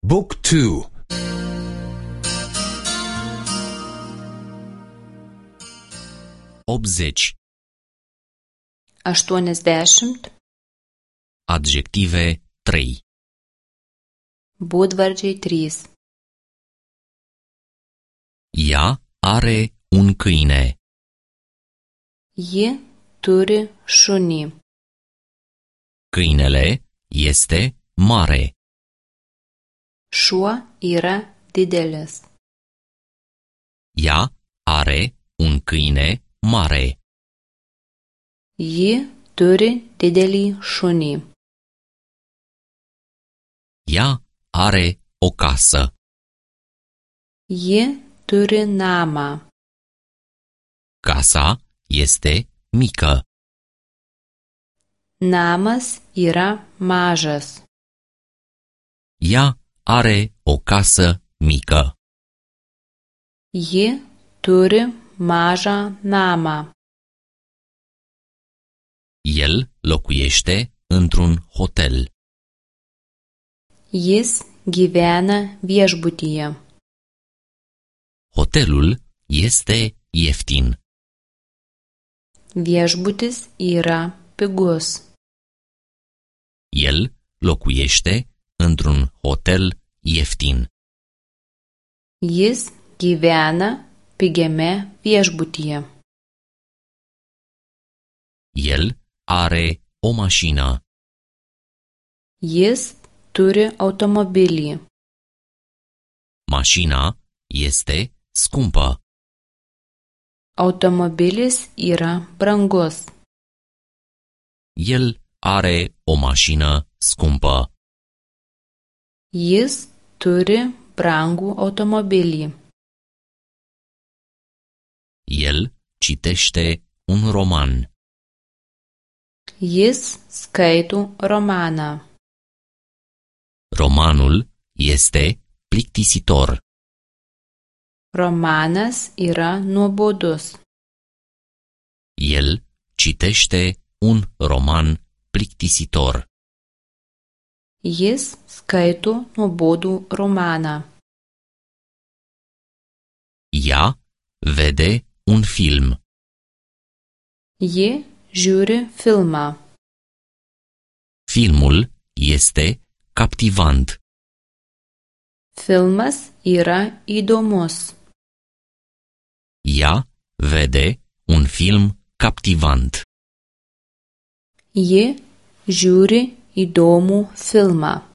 Book 2. 80. 80. Adjective 3. Būdvardžiai 3. Ea are un câine. Ji turi šunį. Câinele este mare. Šuo yra didelis. Ea are un câine mare. Ji turi didelį šunį. Ea are o casă. Ji turi namą. Casa este mică. Namas yra mažas. Ea are o casă mică. Ji turi mažą namą. El locuiește într-un hotel. Jis gyvena viešbutyje. Hotelul este ieftin. Viešbutis yra pigus. El locuiește într-un hotel ieftin. Jis gyvena pigiame viešbutyje. El are o mașină. Jis turi automobilį. Mașina este scumpă. Automobilis yra brangus. El are o mașină scumpă. Jis turi brangų automobilį. El citește un roman. Jis skaito romaną. Romanul este plictisitor. Romanas yra nuobodus. El citește un roman plictisitor. Jis skaito nuobodų romaną. Ea vede un film. Ji žiūri filmą. Filmul este captivant. Filmas yra įdomus. Ea vede un film captivant. Ji žiūri įdomų filmą.